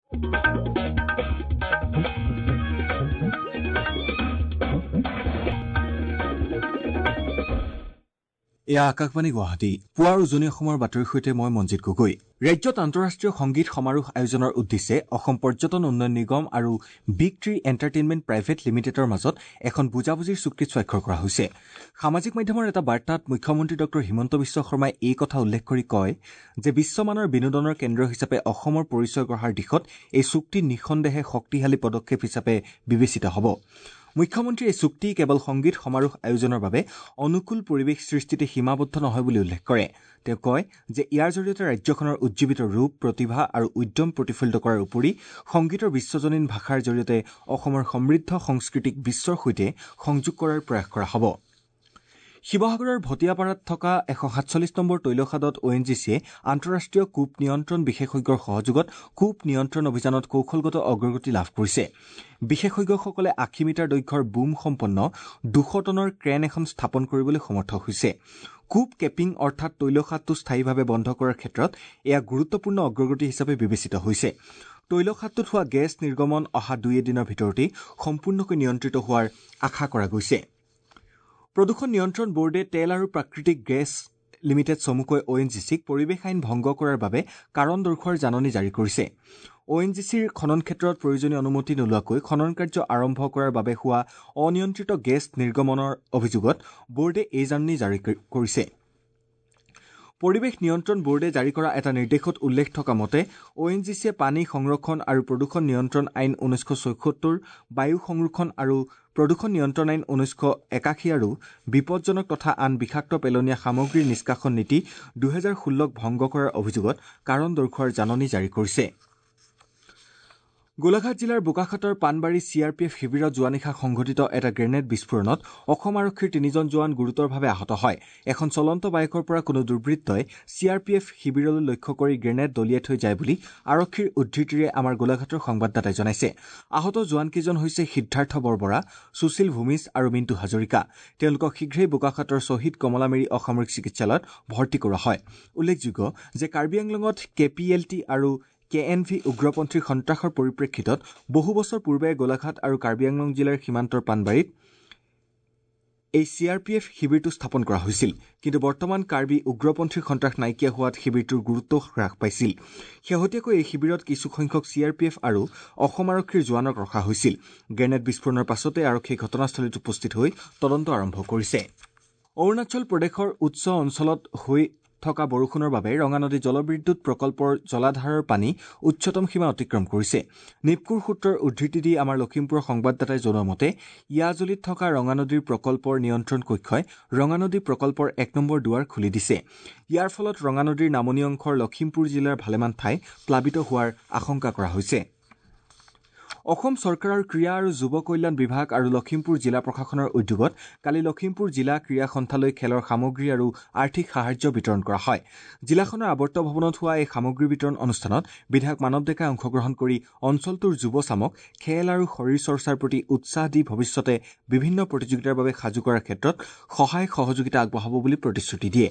এয়া আকাশবাণী গুৱাহাটী। পুৱাৰ উজনি অসমৰ বাতৰিৰ সৈতে মই মঞ্জিত গগৈ। ৰাজ্যত আন্তঃৰাষ্ট্ৰীয় সংগীত সমাৰোহ আয়োজনৰ উদ্দেশ্যে অসম পৰ্যটন উন্নয়ন নিগম আৰু বিগ ট্ৰী এণ্টাৰটেইনমেণ্ট প্ৰাইভেট লিমিটেডৰ মাজত এখন বুজাবুজিৰ চুক্তিত স্বাক্ষৰ কৰা হৈছে। সামাজিক মাধ্যমৰ এটা বাৰ্তাত মুখ্যমন্ত্ৰী ডঃ হিমন্ত বিশ্ব শৰ্মাই এই কথা উল্লেখ কৰি কয় যে বিশ্বমানৰ বিনোদনৰ কেন্দ্ৰ হিচাপে অসমৰ পৰিচয় গঢ়াৰ দিশত এই চুক্তি নিঃসন্দেহে শক্তিশালী পদক্ষেপ হিচাপে বিবেচিত হ'ব। মুখ্যমন্ত্ৰীয়ে এই চুক্তি কেৱল সংগীত সমাৰোহ আয়োজনৰ বাবে অনুকূল পৰিৱেশ সৃষ্টিতে সীমাবদ্ধ নহয় বুলি উল্লেখ কৰে। তেওঁ কয় যে ইয়াৰ জৰিয়তে ৰাজ্যখনৰ উজ্জীৱিত ৰূপ, প্ৰতিভা আৰু উদ্যম প্ৰতিফলিত কৰাৰ উপৰি সংগীতৰ বিশ্বজনীন ভাষাৰ জৰিয়তে অসমৰ সমৃদ্ধ সংস্কৃতিক বিশ্বৰ সৈতে সংযোগ কৰাৰ প্ৰয়াস কৰা হ'ব। শিৱসাগৰৰ ভটিয়াপাৰাত থকা 147 নম্বৰ তৈলখাদত অ' এন জি চিয়ে আন্তঃৰাষ্ট্ৰীয় কূপ নিয়ন্ত্ৰণ বিশেষজ্ঞৰ সহযোগত কূপ নিয়ন্ত্ৰণ অভিযানত কৌশলগত অগ্ৰগতি লাভ কৰিছে। বিশেষজ্ঞসকলে 80 মিটাৰ দৈৰ্ঘ্যৰ বুম সম্পন্ন 200 টনৰ ক্ৰেন এখন স্থাপন কৰিবলৈ সমৰ্থ হৈছে। কূপ কেপিং অৰ্থাৎ তৈলখাদটো স্থায়ীভাৱে বন্ধ কৰাৰ ক্ষেত্ৰত এয়া গুৰুত্বপূৰ্ণ অগ্ৰগতি হিচাপে বিবেচিত হৈছে। তৈলখাদটোত হোৱা গেছ নিৰ্গমন অহা দুই এদিনৰ ভিতৰতেই সম্পূৰ্ণকৈ নিয়ন্ত্ৰিত হোৱাৰ আশা কৰা গৈছে। প্ৰদূষণ নিয়ন্ত্ৰণ বোৰ্ডে তেল আৰু প্ৰাকৃতিক গেছ লিমিটেড চমুকৈ অ' এন জি চিক পৰিৱেশ আইন ভংগ কৰাৰ বাবে কাৰণ দৰ্শোৱাৰ জাননী জাৰি কৰিছে। অ' এন জি চিৰ খনন ক্ষেত্ৰত প্ৰয়োজনীয় অনুমতি নোলোৱাকৈ খনন কাৰ্য আৰম্ভ কৰাৰ বাবে হোৱা অনিয়ন্ত্ৰিত গেছ নিৰ্গমনৰ অভিযোগত বোৰ্ডে এই জাননী জাৰি কৰিছে। পৰিৱেশ নিয়ন্ত্ৰণ বোৰ্ডে জাৰি কৰা এটা নিৰ্দেশত উল্লেখ থকা মতে অ' এন জি চিয়ে পানী সংৰক্ষণ আৰু প্ৰদূষণ নিয়ন্ত্ৰণ আইন 1976, বায়ু সংৰক্ষণ আৰু প্ৰদূষণ নিয়ন্ত্ৰণ আইন 1981 আৰু বিপদজনক তথা আন বিষাক্ত পেলনীয়া সামগ্ৰীৰ নিষ্কাশন নীতি 2016 ভংগ কৰাৰ অভিযোগত কাৰণ দৰ্শোৱাৰ জাননী জাৰি কৰিছে। গোলাঘাট জিলাৰ বোকাখাতৰ Panbari C R P F শিবিৰত যোৱা নিশা সংঘটিত এটা গ্ৰেনেড বিস্ফোৰণত অসম আৰক্ষীৰ 3জন জোৱান গুৰুতৰভাৱে আহত হয়। এখন চলন্ত বাইকৰ পৰা কোনো দুৰ্বৃত্তই চি আৰ পি এফ শিবিৰলৈ লক্ষ্য কৰি গ্ৰেনেড দলিয়াই থৈ যায় বুলি আৰক্ষীৰ উদ্ধৃতিৰে আমাৰ গোলাঘাটৰ সংবাদদাতাই জনাইছে। আহত জোৱানকেইজন হৈছে সিদ্ধাৰ্থ বৰবৰা, সুশীল ভূমিজ আৰু মিণ্টু হাজৰিকা। তেওঁলোকক শীঘ্ৰেই বোকাখাতৰ শ্বহীদ কমলামেৰী অসামৰিক চিকিৎসালয়ত ভৰ্তি কৰোৱা হয়। উল্লেখযোগ্য যে কাৰ্বি আংলঙত কে পি এল টি আৰু কে এন ভি উগ্ৰপন্থীৰ সন্ত্ৰাসৰ পৰিপ্ৰেক্ষিতত বহু বছৰ পূৰ্বে গোলাঘাট আৰু কাৰ্বি আংলং জিলাৰ সীমান্তৰ পাণবাৰীত এই চি আৰ পি এফ শিবিৰটো স্থাপন কৰা হৈছিল। কিন্তু বৰ্তমান কাৰ্বি উগ্ৰপন্থীৰ সন্ত্ৰাস নাইকিয়া হোৱাত শিবিৰটোৰ গুৰুত্ব হ্ৰাস পাইছিল। শেহতীয়াকৈ এই শিবিৰত কিছুসংখ্যক চি আৰ পি এফ আৰু অসম আৰক্ষীৰ জোৱানক ৰখা হৈছিল। গ্ৰেনেড বিস্ফোৰণৰ পাছতে আৰক্ষীয়ে ঘটনাস্থলীত উপস্থিত হৈ তদন্ত আৰম্ভ কৰিছে। অৰুণাচল প্ৰদেশৰ উচ্চ অঞ্চলত হৈ থকা বৰষুণৰ বাবে ৰঙানদী জলবিদ্যুৎ প্ৰকল্পৰ জলাধাৰৰ পানী উচ্চতম সীমা অতিক্ৰম কৰিছে। নিপকুৰ সূত্ৰৰ উদ্ধৃতি দি আমাৰ লখিমপুৰৰ সংবাদদাতাই জনোৱা মতে ইয়াজুলিত থকা ৰঙানদীৰ প্ৰকল্পৰ নিয়ন্ত্ৰণ কক্ষই ৰঙানদী প্ৰকল্পৰ 1 নম্বৰ দুৱাৰ খুলি দিছে। ইয়াৰ ফলত ৰঙানদীৰ নামনি অংশৰ লখিমপুৰ জিলাৰ ভালেমান ঠাই প্লাবিত হোৱাৰ আশংকা কৰা হৈছে। অসম চৰকাৰৰ ক্ৰীড়া আৰু যুৱ কল্যাণ বিভাগ আৰু লখিমপুৰ জিলা প্ৰশাসনৰ উদ্যোগত কালি লখিমপুৰ জিলা ক্ৰীড়া সন্থালৈ খেলৰ সামগ্ৰী আৰু আৰ্থিক সাহায্য বিতৰণ কৰা হয়। জিলাখনৰ আৱৰ্ত ভৱনত হোৱা এই সামগ্ৰী বিতৰণ অনুষ্ঠানত বিধায়ক মানৱ ডেকাই অংশগ্ৰহণ কৰি অঞ্চলটোৰ যুৱচামক খেল আৰু শৰীৰ চৰ্চাৰ প্ৰতি উৎসাহ দি ভৱিষ্যতে বিভিন্ন প্ৰতিযোগিতাৰ বাবে সাজু কৰাৰ ক্ষেত্ৰত সহায় সহযোগিতা আগবঢ়াব বুলি প্ৰতিশ্ৰুতি দিয়ে।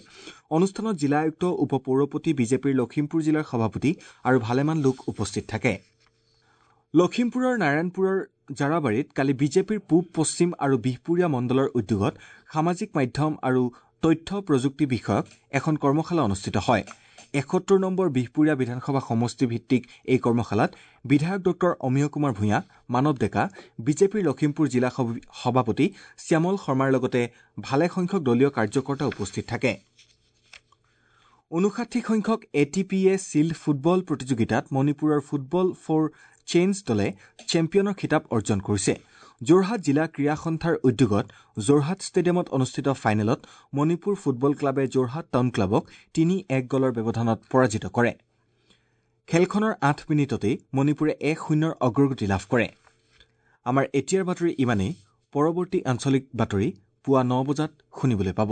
অনুষ্ঠানত জিলা আয়ুক্ত, উপ পৌৰপতি, বিজেপিৰ লখিমপুৰ জিলাৰ সভাপতি আৰু ভালেমান লোক উপস্থিত থাকে। লখিমপুৰৰ নাৰায়ণপুৰৰ জাৰাবাৰীত কালি বিজেপিৰ পূব, পশ্চিম আৰু বিহপুৰীয়া মণ্ডলৰ উদ্যোগত সামাজিক মাধ্যম আৰু তথ্য প্ৰযুক্তি বিষয়ক এখন কৰ্মশালা অনুষ্ঠিত হয়। 71 নম্বৰ বিহপুৰীয়া বিধানসভা সমষ্টি ভিত্তিক এই কৰ্মশালাত বিধায়ক ডঃ অমিয় কুমাৰ ভূঞা, মানৱ ডেকা, বিজেপিৰ লখিমপুৰ জিলা সভাপতি শ্যামল শৰ্মাৰ লগতে ভালেসংখ্যক দলীয় কাৰ্যকৰ্তা উপস্থিত থাকে। ৫৯ সংখ্যক A T P A shield football প্ৰতিযোগিতাত মণিপুৰৰ ফুটবল ফৰ চেঞ্জ দলে চেম্পিয়নৰ খিতাপ অৰ্জন কৰিছে। যোৰহাট জিলা ক্ৰীড়া সন্থাৰ উদ্যোগত যোৰহাট ষ্টেডিয়ামত অনুষ্ঠিত ফাইনেলত মণিপুৰ ফুটবল ক্লাবে যোৰহাট টাউন ক্লাবক ৩-১ গলৰ ব্যৱধানত পৰাজিত কৰে। খেলখনৰ ৮ মিনিটতেই মণিপুৰে ১-০ অগ্ৰগতি লাভ কৰে। আমাৰ এতিয়াৰ বাতৰি ইমানেই। পৰৱৰ্তী আঞ্চলিক বাতৰি পুৱা ৯ বজাত শুনিবলৈ পাব।